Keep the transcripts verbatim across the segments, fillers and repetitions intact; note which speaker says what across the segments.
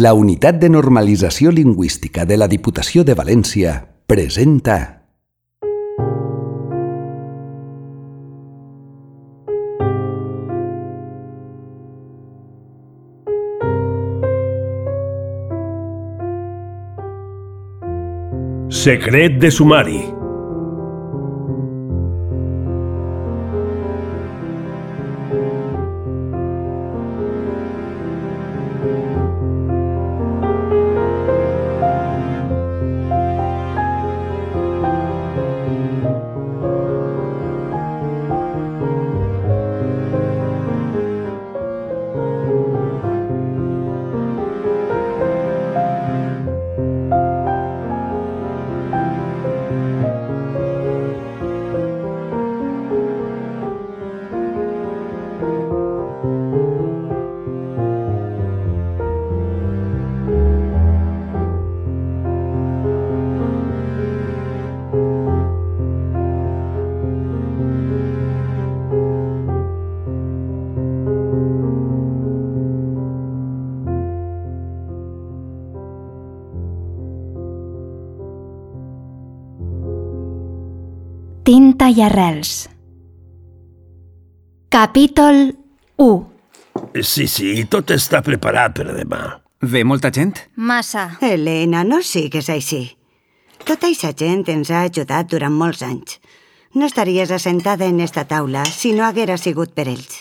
Speaker 1: La Unitat de Normalització Lingüística de la Diputació de València presenta
Speaker 2: Secret de sumari.
Speaker 3: Tinta i arrels. Capítol u.
Speaker 2: Sí, sí, tot està preparat per demà.
Speaker 4: Ve molta gent?
Speaker 3: Massa.
Speaker 5: Helena, no sigues així. Tota aquesta gent ens ha ajudat durant molts anys. No estaries assentada en esta taula si no haguera sigut per ells.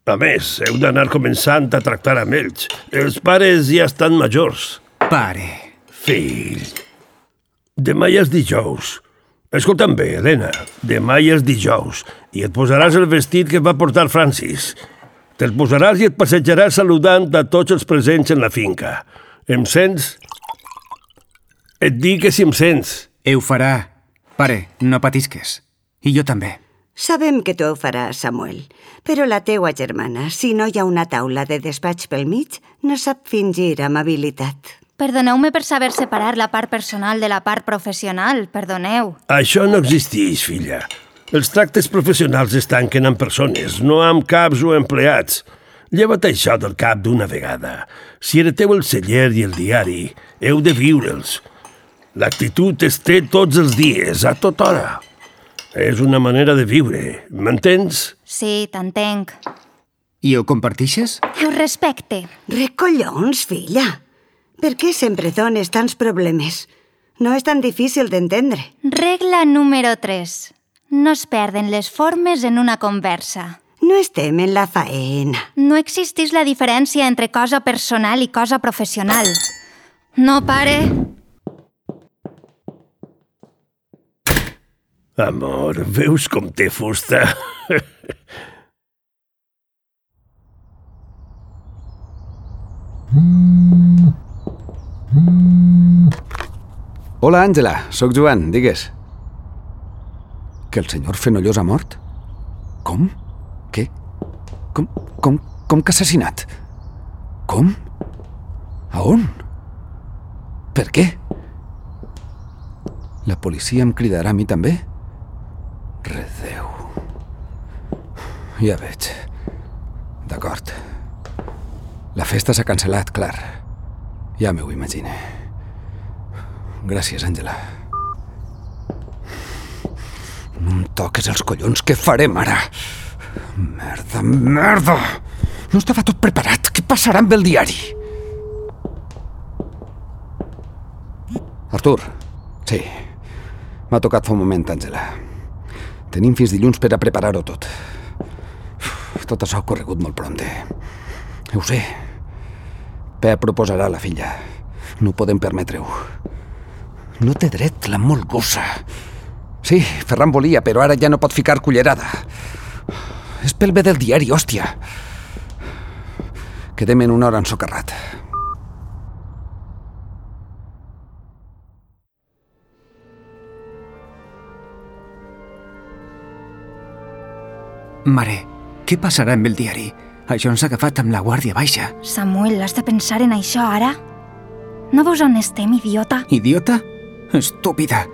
Speaker 2: A més, heu d'anar començant a tractar amb ells. Els pares ja estan majors.
Speaker 4: Pare.
Speaker 2: Fill, demà ja és dijous. Escolta'm bé, Helena, demà ja és dijous i et posaràs el vestit que va portar Francis. Te'l posaràs i et passejaràs saludant a tots els presents en la finca. Em sents? Et dic que si em sents.
Speaker 4: Ho farà. Pare, no patisques. I jo també.
Speaker 5: Sabem que tu ho faràs, Samuel, però la teua germana, si no hi ha una taula de despatx pel mig, no sap fingir amabilitat.
Speaker 3: Perdoneu-me per saber separar la part personal de la part professional, perdoneu.
Speaker 2: Això no existeix, filla. Els tractes professionals es tanquen amb persones, no amb caps o empleats. Lleva't això del cap d'una vegada. Si hereteu el celler i el diari, heu de viure'ls. L'actitud es té tots els dies, a tota hora. És una manera de viure, m'entens?
Speaker 3: Sí, t'entenc.
Speaker 4: I ho compartixes?
Speaker 3: Ho respecte.
Speaker 5: Recollons, filla. Per què sempre dones tants problemes? No és tan difícil d'entendre.
Speaker 3: Regla número tres. No es perden les formes en una conversa.
Speaker 5: No estem en la faena.
Speaker 3: No existeix la diferència entre cosa personal i cosa professional. No, pare?
Speaker 2: Amor, veus com té fusta?
Speaker 1: Hola, Àngela, sóc Joan, digues. Que el senyor Fenollós ha mort? Com? Què? Com, com, com que ha assassinat? Com? A on? Per què? La policia em cridarà a mi també? Redéu. Ja veig. D'acord. La festa s'ha cancel·lat, clar. Ja m'ho imagine. Gràcies, Àngela. No em toques els collons, què farem ara? Merda, merda! No estava tot preparat, què passarà amb el diari? Artur, sí, m'ha tocat fa un moment, Àngela. Tenim fins dilluns per a preparar-ho tot. Tot això ha corregut molt prompte. Ho sé. Pep proposarà la filla. No podem permetre-ho. No té dret, la molgosa. Sí, Ferran volia, però ara ja no pot ficar cullerada. És pel bé del diari, hòstia. Quedem en una hora ensocarrat.
Speaker 4: Mare, què passarà amb el diari? Això ens ha agafat amb la guàrdia baixa.
Speaker 3: Samuel, has de pensar en això ara? No veus on estem, idiota?
Speaker 4: Idiota? Estúpida.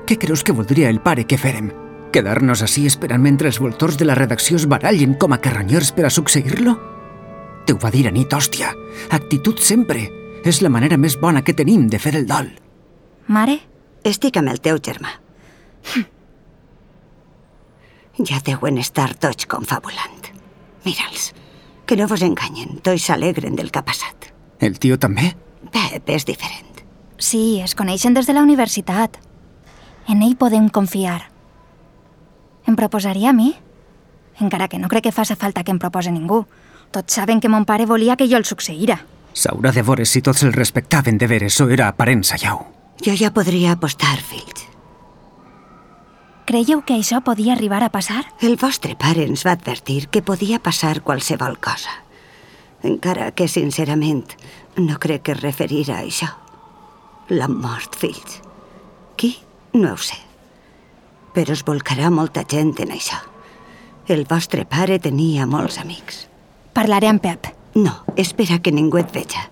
Speaker 4: Què creus que voldria el pare que fèrem? Quedar-nos així esperant mentre els voltors de la redacció es barallen com a carronyers per a succeir-lo? Te ho va dir a nit, hòstia. Actitud sempre. És la manera més bona que tenim de fer el dol.
Speaker 3: Mare?
Speaker 5: Estic amb el teu germà. Ja deuen estar tots confabulant. Mira'ls, que no vos enganyen, tots s'alegren del que ha passat.
Speaker 4: El tio també?
Speaker 5: Pep és diferent.
Speaker 3: Sí, es coneixen des de la universitat. En ell podem confiar. Em proposaria a mi? Encara que no crec que faci falta que em propose ningú. Tots saben que mon pare volia que jo el succeïra.
Speaker 4: S'haurà de veure si tots el respectaven de veres o era aparença, llau.
Speaker 5: Jo ja podria apostar, fills.
Speaker 3: Creieu que això podia arribar a passar?
Speaker 5: El vostre pare ens va advertir que podia passar qualsevol cosa. Encara que, sincerament, no crec que es referirà a això. La mort, fills. Qui? No ho sé. Però es volcarà molta gent en això. El vostre pare tenia molts amics.
Speaker 3: Parlaré amb Pep.
Speaker 5: No, espera que ningú et veja.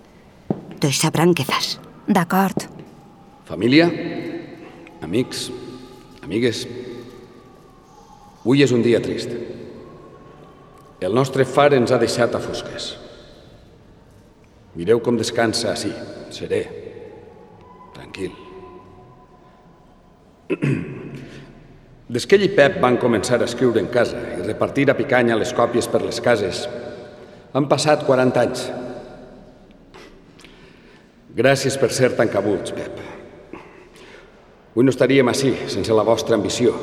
Speaker 5: Tots sabran què fas.
Speaker 3: D'acord.
Speaker 1: Família, amics, amigues, avui és un dia trist. El nostre far ens ha deixat a fosques. Mireu com descansa així, serè, tranquil. Des que ell i Pep van començar a escriure en casa i repartir a picanya les còpies per les cases, han passat quaranta anys. Gràcies per ser tan cabuts, Pep. Avui no estaríem així sense la vostra ambició.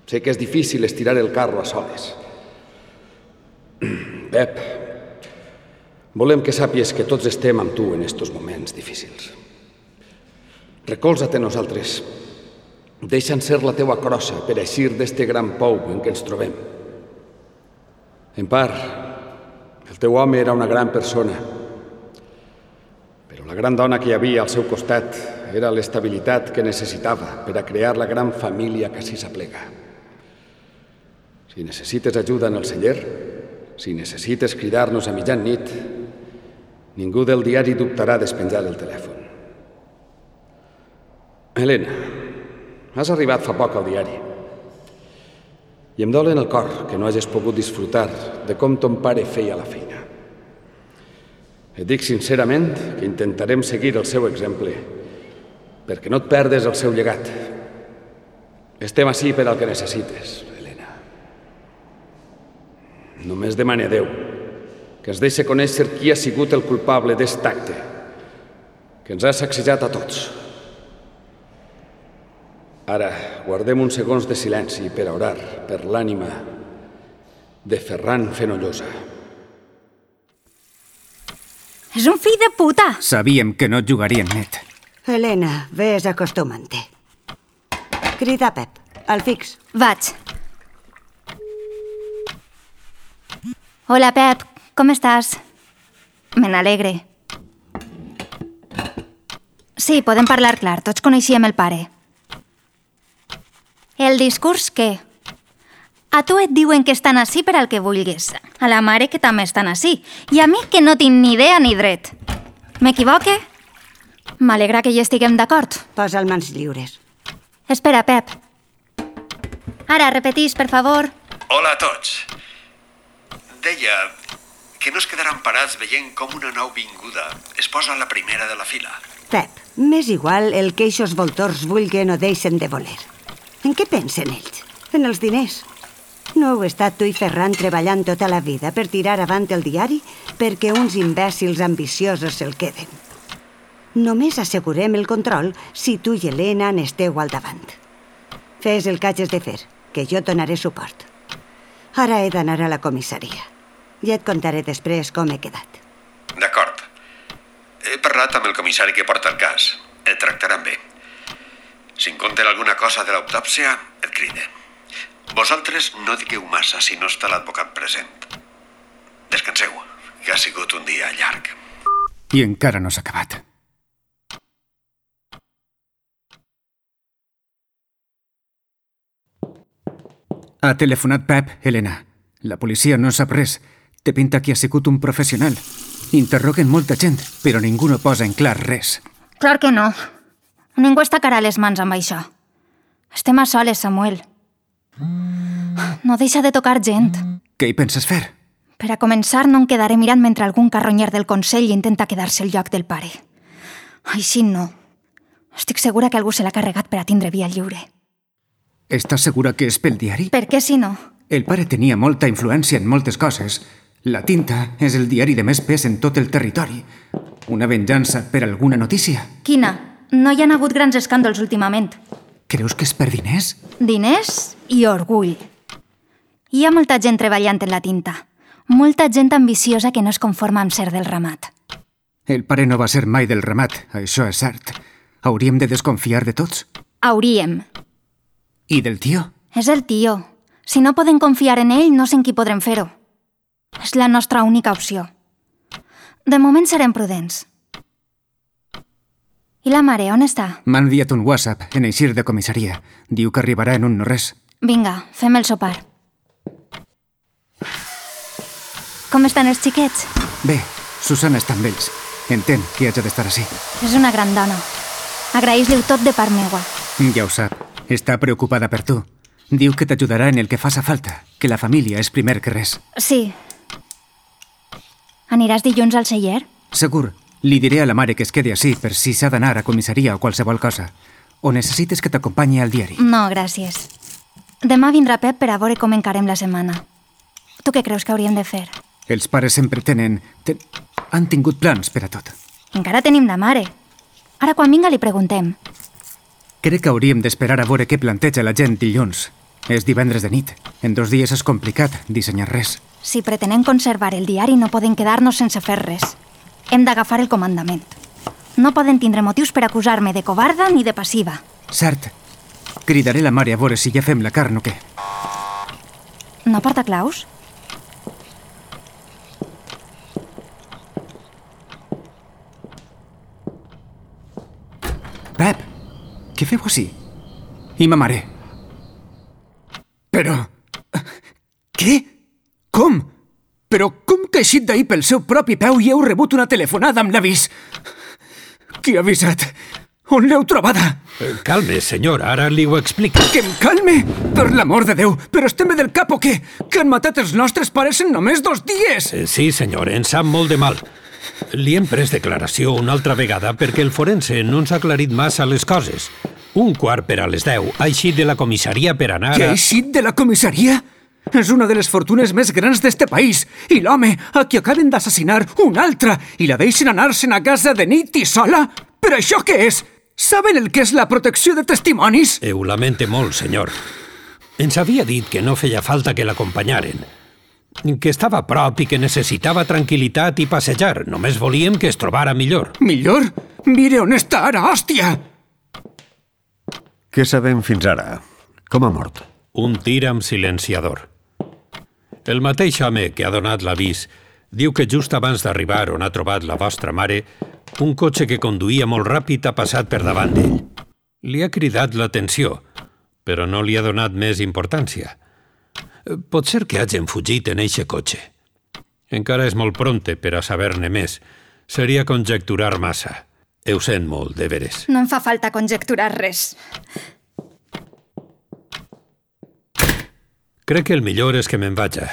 Speaker 1: Sé que és difícil estirar el carro a soles. Pep, volem que sàpies que tots estem amb tu en estos moments difícils. Recolza't en nosaltres. Deixa'ns ser la teua crossa per eixir d'este gran pou en què ens trobem. En part, el teu home era una gran persona, però la gran dona que hi havia al seu costat era l'estabilitat que necessitava per a crear la gran família que s'hi s'aplega. Si necessites ajuda en el celler, si necessites cridar-nos a mitjanit, ningú del diari dubtarà despenjar el telèfon. Helena, has arribat fa poc al diari i em dol en el cor que no hagis pogut disfrutar de com ton pare feia la feina. Et dic sincerament que intentarem seguir el seu exemple perquè no et perdes el seu llegat. Estem ací per al que necessites, Helena. Només demane a Déu que ens deixi conèixer qui ha sigut el culpable d'est acte que ens ha sacsejat a tots. Ara, guardem uns segons de silenci per a orar per l'ànima de Ferran Fenollosa.
Speaker 3: És un fill de puta!
Speaker 4: Sabíem que no jugarien net.
Speaker 5: Helena, ves acostumant-te. Crida Pep, al fix.
Speaker 3: Vaig. Hola, Pep, com estàs? Me n'alegre. Sí, podem parlar clar, tots coneixíem el pare. El discurs què? A tu et diuen que estan ací per al que vulguis. A la mare que també estan ací. I a mi que no tinc ni idea ni dret. M'equivoque? M'alegra que hi estiguem d'acord.
Speaker 5: Posa el mans lliures.
Speaker 3: Espera, Pep. Ara, repetís, per favor.
Speaker 6: Hola a tots. Deia que no es quedaran parats veient com una nou vinguda es posa a la primera de la fila.
Speaker 5: Pep, m'és igual el que eixos voltors vulguen o deixen de voler. En què pensen ells? En els diners. No heu estat tu i Ferran treballant tota la vida per tirar avant el diari perquè uns imbècils ambiciosos se'l queden. Només assegurem el control si tu i Helena n'esteu al davant. Fes el que hagis de fer, que jo et donaré suport. Ara he d'anar a la comissaria. Ja et contaré després com he quedat.
Speaker 6: D'acord. He parlat amb el comissari que porta el cas. Et tractaran bé. Si en compten alguna cosa de l'autòpsia, et cride. Vosaltres no digueu massa si no està l'advocat present. Descanseu, que ha sigut un dia llarg.
Speaker 4: I encara no s'ha acabat. Ha telefonat Pep, Helena. La policia no sap res. Té pinta que ha sigut un professional. Interroguen molta gent, però ningú no posa en clar res.
Speaker 3: Clar que no. Ningú es tacarà les mans amb això. Estem a soles, Samuel. No deixa de tocar gent.
Speaker 4: Què hi penses fer?
Speaker 3: Per a començar, no em quedaré mirant mentre algun carronyer del Consell intenta quedar-se el lloc del pare. Així no. Estic segura que algú se l'ha carregat per a tindre via lliure.
Speaker 4: Estàs segura que és pel diari?
Speaker 3: Per què si no?
Speaker 4: El pare tenia molta influència en moltes coses. La Tinta és el diari de més pes en tot el territori. Una venjança per alguna notícia?
Speaker 3: Quina? No hi han hagut grans escàndols últimament.
Speaker 4: Creus que és per diners?
Speaker 3: Diners i orgull. Hi ha molta gent treballant en la Tinta. Molta gent ambiciosa que no es conforma amb ser del ramat.
Speaker 4: El pare no va ser mai del ramat, això és cert. Hauríem de desconfiar de tots?
Speaker 3: Hauríem.
Speaker 4: I del tio?
Speaker 3: És el tio. Si no podem confiar en ell, no sé en qui podrem fer-ho. És la nostra única opció. De moment serem prudents. I la mare, on està?
Speaker 4: M'ha enviat un WhatsApp en eixir de comissaria. Diu que arribarà en un no-res.
Speaker 3: Vinga, fem el sopar. Com estan els xiquets?
Speaker 4: Bé, Susana està amb ells. Entén que haig d'estar així.
Speaker 3: És una gran dona. Agraeix-li-ho tot de part meua.
Speaker 4: Ja ho sap. Està preocupada per tu. Diu que t'ajudarà en el que faça falta, que la família és primer que res.
Speaker 3: Sí. Aniràs dilluns al celler?
Speaker 4: Segur. Li diré a la mare que es quedi així per si s'ha d'anar a comissaria o qualsevol cosa. O necessites que t'acompanyi al diari?
Speaker 3: No, gràcies. Demà vindrà Pep per a veure com encarem la setmana. Tu què creus que hauríem de fer?
Speaker 4: Els pares sempre tenen... Ten... Han tingut plans per a tot.
Speaker 3: Encara tenim la mare. Ara quan vinga li preguntem.
Speaker 4: Crec que hauríem d'esperar a veure què planteja la gent dilluns. És divendres de nit. En dos dies és complicat dissenyar res.
Speaker 3: Si pretenem conservar el diari no podem quedar-nos sense fer res. Hem d'agafar el comandament. No poden tindre motius per acusar-me de covarda ni de passiva.
Speaker 4: Cert. Cridaré la mare a veure si ja fem la carn o què.
Speaker 3: No porta claus?
Speaker 4: Pep, què feu així? I ma mare? Però... Què? Com? Però com que he eixit d'ahir pel seu propi peu i heu rebut una telefonada amb l'avís? Qui ha avisat? On l'heu trobada?
Speaker 2: Calme, senyor, ara li ho explico.
Speaker 4: Que em calme? Per l'amor de Déu, però estem bé del cap o què? Que han matat els nostres pares en només dos dies?
Speaker 2: Sí, senyor, ens sap molt de mal. Li hem pres declaració una altra vegada perquè el forense no ens ha aclarit massa les coses. Un quart per a les deu ha eixit de la comissaria per anar a...
Speaker 4: Que ha eixit de la comissaria? És una de les fortunes més grans d'este país. I l'home a qui acaben d'assassinar un altre i la deixen anar-se'n a casa de nit i sola? Però això què és? Saben el que és la protecció de testimonis?
Speaker 2: Eh, ho lamente molt, senyor. Ens havia dit que no feia falta que l'acompanyaren. Que estava a prop i que necessitava tranquil·litat i passejar. Només volíem que es trobara millor.
Speaker 4: Millor? Mire on està ara, hòstia!
Speaker 6: Què sabem fins ara? Com ha mort?
Speaker 2: Un tir amb silenciador. El mateix home que ha donat l'avís diu que just abans d'arribar on ha trobat la vostra mare, un cotxe que conduïa molt ràpid ha passat per davant d'ell. Li ha cridat l'atenció, però no li ha donat més importància. Pot ser que hagin fugit en eixe cotxe. Encara és molt pronte per a saber-ne més. Seria conjecturar massa. Ho sent molt, de veres.
Speaker 3: No em fa falta conjecturar res.
Speaker 2: Crec que el millor és que me'n vaja.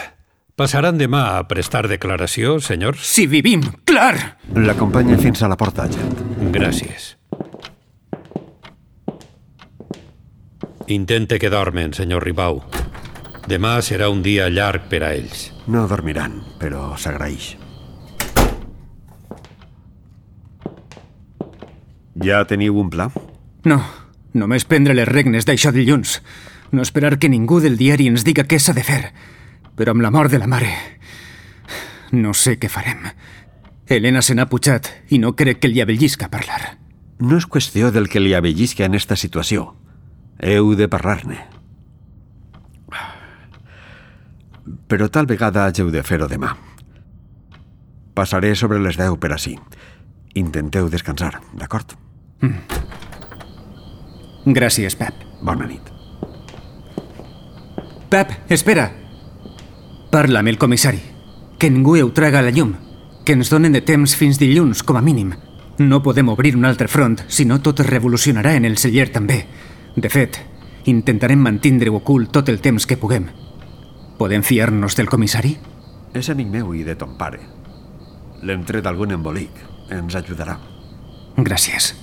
Speaker 2: Passaran demà a prestar declaració, senyor?
Speaker 4: Si vivim, clar!
Speaker 6: L'acompanya fins a la porta, agent.
Speaker 2: Gràcies. Intente que dormen, senyor Ribau. Demà serà un dia llarg per a ells.
Speaker 6: No dormiran, però s'agraeix. Ja teniu un pla?
Speaker 4: No, només prendre les regnes d'això dilluns. No esperar que ningú del diari ens diga què s'ha de fer. Però amb la mort de la mare... no sé què farem. Helena se n'ha pujat i no crec que li avellisca parlar.
Speaker 6: No és qüestió del que li avellisca en esta situació. Heu de parlar-ne. Però tal vegada hàgeu de fer-ho demà. Passaré sobre les deu per ací. Intenteu descansar, d'acord?
Speaker 4: Mm. Gràcies, Pep.
Speaker 6: Bona nit.
Speaker 4: Pep, espera! Parla amb el comissari. Que ningú ho traga a la llum. Que ens donen de temps fins dilluns, com a mínim. No podem obrir un altre front, si no tot es revolucionarà en el celler també. De fet, intentarem mantindre-ho ocult tot el temps que puguem. Podem fiar-nos del comissari?
Speaker 6: És amic meu i de ton pare. L'hem tret algun embolic. Ens ajudarà.
Speaker 4: Gràcies.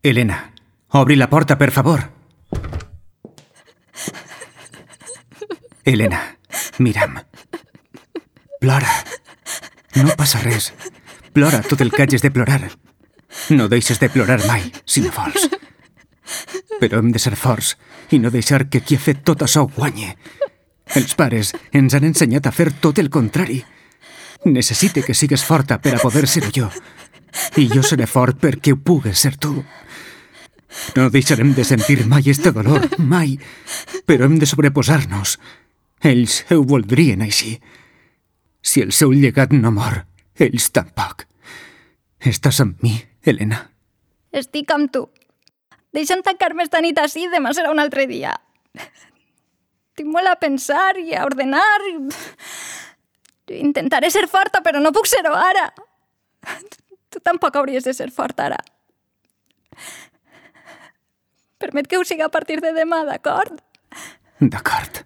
Speaker 4: Elena, obri la porta, per favor. Elena, mira'm. Plora. No passa res. Plora tot el que hagis de plorar. No deixes de plorar mai, si no vols. Però hem de ser forts i no deixar que qui ha fet tot això guanyi. Els pares ens han ensenyat a fer tot el contrari. Necessite que sigues forta per a poder ser jo. I jo seré fort perquè ho pugues ser tu. No deixarem de sentir mai este dolor, mai. Però hem de sobreposar-nos. Ells ho voldrien així. Si el seu llegat no mor, ells tampoc. Estàs amb mi, Elena?
Speaker 3: Estic amb tu. Deixa'm tancar-me esta nit així, demà serà un altre dia. Tinc molt a pensar i a ordenar. Intentaré ser forta, però no puc ser-ho ara. Tu tampoc hauries de ser forta ara. Permet que ho siga a partir de demà, d'acord?
Speaker 4: D'acord.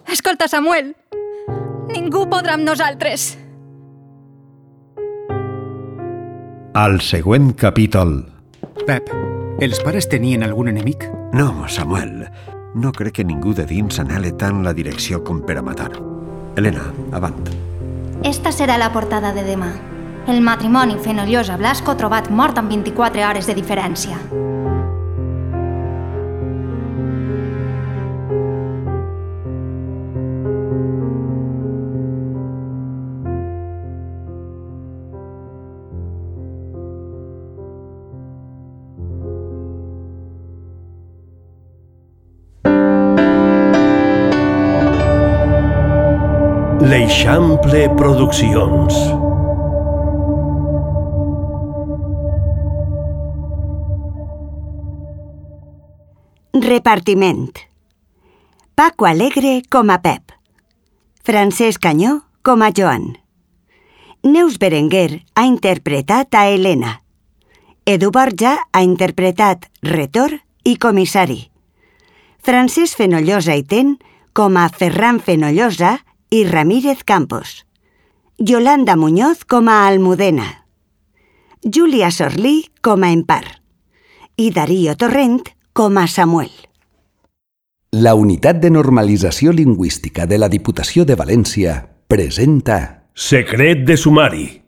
Speaker 3: Escolta, Samuel, ningú podrà amb nosaltres.
Speaker 6: Al següent capítol.
Speaker 4: Pep, els pares tenien algun enemic?
Speaker 6: No, Samuel. No crec que ningú de dins anhele tant la direcció com per a matar. Elena, avant.
Speaker 3: Esta serà la portada de demà. El matrimoni Fenollosa-Blasco trobat mort amb vint-i-quatre hores de diferència.
Speaker 2: L'Eixample Produccions.
Speaker 5: Repartiment. Paco Alegre com a Pep. Francesc Canyó com a Joan. Neus Berenguer ha interpretat a Elena. Edu Borja ha interpretat Retor i comissari. Francesc Fenollosa i Ten com a Ferran Fenollosa i Ramírez Campos. Yolanda Muñoz com a Almudena. Júlia Sorlí com a Empar. I Darío Torrent com a Samuel.
Speaker 1: La Unitat de Normalització Lingüística de la Diputació de València presenta...
Speaker 2: Secret de sumari.